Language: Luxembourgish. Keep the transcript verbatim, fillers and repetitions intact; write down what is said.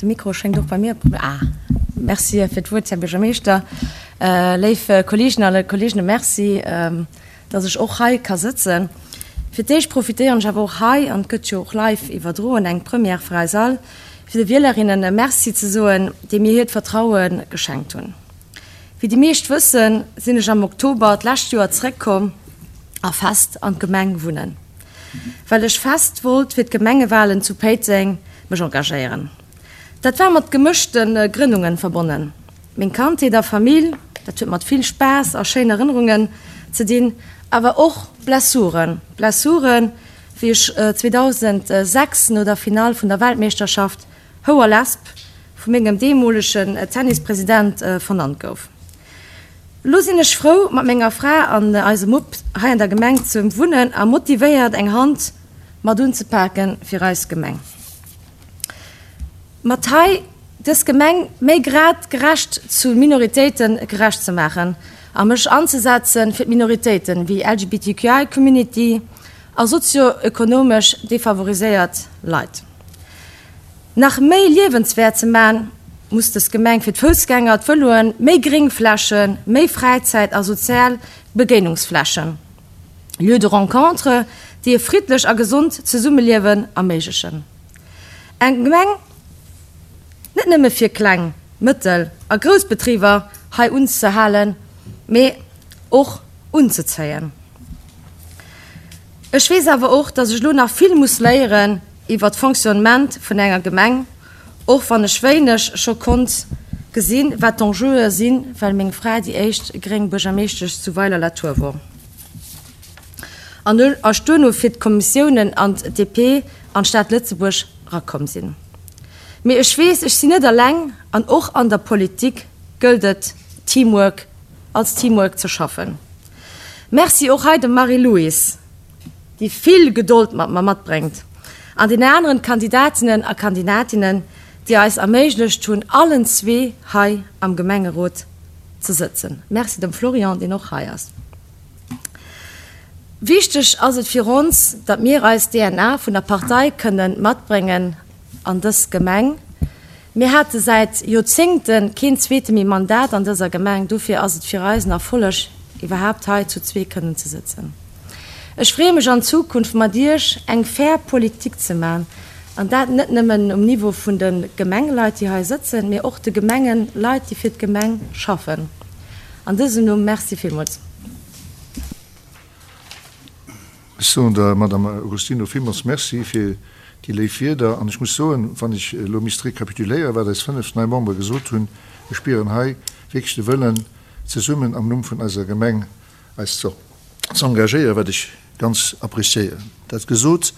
De Mikro schéngt och bei mir. Ah, merci fir d'Wuert, Här Buergermeeschter. Léif Kolleegen a Kolleeginnen, merci, dass ech och hei ka sëtzen. Fir d'éischt profitéieren ech awer och hei, an et gëtt jo och live iwwerdroen, eng Première fir eis all, fir de Wielerinnen e Merci ze soen, déi mir hiert Vertraue geschenkt hunn. Wéi déi meescht wëssen, sinn ech am Oktober d'lescht Joer zréckkomm a fest an d'Gemeng wunnen, well ech fest wollt fir d'Gemengewalen zu Péiteng mech engagéieren. Dat war mat gemëschte Grënnungen verbonnen. Meng Kandheet a Famill, dat huet mat vill Spaass a schéin Erënnerungen ze dinn, awer och Blessuren. Blessuren, wéi ech zweedausendsechs no der Finall vun der Weltmeeschterschaft Houer Lesb vu mengem deemolegen Tennispresident vernannt gouf. Elo sinn ech frou, mat menger Fra an eisem Mupp hei an der Gemeng ze wunnen a motivéiert eng Hand mat unzepaken fir eis Gemeng. Mat hei dës Gemeng méi grad gerecht zu Minoritéite gerecht ze maachen a mech anzesetzen fir d'Minoritéiten wéi L G B T Q I Community a sozio-ökonomesch defavoriséiert Leit. Nach méi liewenswäert ze man, muss dës Gemeng fir d'Foussgänger, d'Vëloen, méi Gréngflächen, méi Fräizäit a sozial Begéinungsflächen. Lieux de rencontre, déi e friddlech a gesond Zesummeliewen erméiglechen. Eng Gemeng net nëmme fir kleng, mëttel a grouss Betriber hei unzehalen, mee och unzezéien. Ech weess awer och, dass ech lo nach vill muss léieren iwwer d'Fonctionnement vun enger Gemeng, och wann ech wéineg scho konnt gesinn, wat d'Enjeue sinn, well meng Fra déi éischt gréng Buergermeeschtesch zu Weiler-la-Tour wor. An ech duerno fir d'Kommissiounen an d'D P an d'Stad Lëtzebuerg rakomm sinn. Mee ech weess, ech sinn net eleng an och an der Politik gëllt et Teamwork als Teamwork ze schaffen. Merci och hei dem Marie-Louise, déi vill Gedold mat mer matbréngt, an den aneren Kandidatinnen a Kandidatinnen, déi eis erméiglecht hunn, allen zwee hei am Gemengerot ze sëtzen. Merci dem Florian, deen och hei ass. Wichteg ass et fir ons, datt mir eis D N A vun der Partei kënnen matbréngen an dës Gemeng. Mir hate säit Joerzéngte keen zweete méi Mandat an dëser Gemeng, dofir ass et fir eis en Erfolleg, iwwerhaapt hei zu zwee kënnen ze sëtzen. Ech freeë mech an Zukunft mat Iech eng fair Politik ze man, an dat net nëmmen um Niveau vun de Gemengeleit, déi hei sëtzen, mee och de Gemengeleit, déi fir d'Gemeng schaffen. An dësem Numm merci villmools. Ech soen der Madame Agostino villmools Merci fir déi léif Wierder. An ech muss soen, wann ech elo misst rekapituléieren, wat eis fënnef nei Membere gesot hunn, ech spieren hei wierklech de Wëllen, zesummen am Numm vun eiser Gemeng eis ze engagéieren, wat ech ganz appréciéieren. Dat gesot,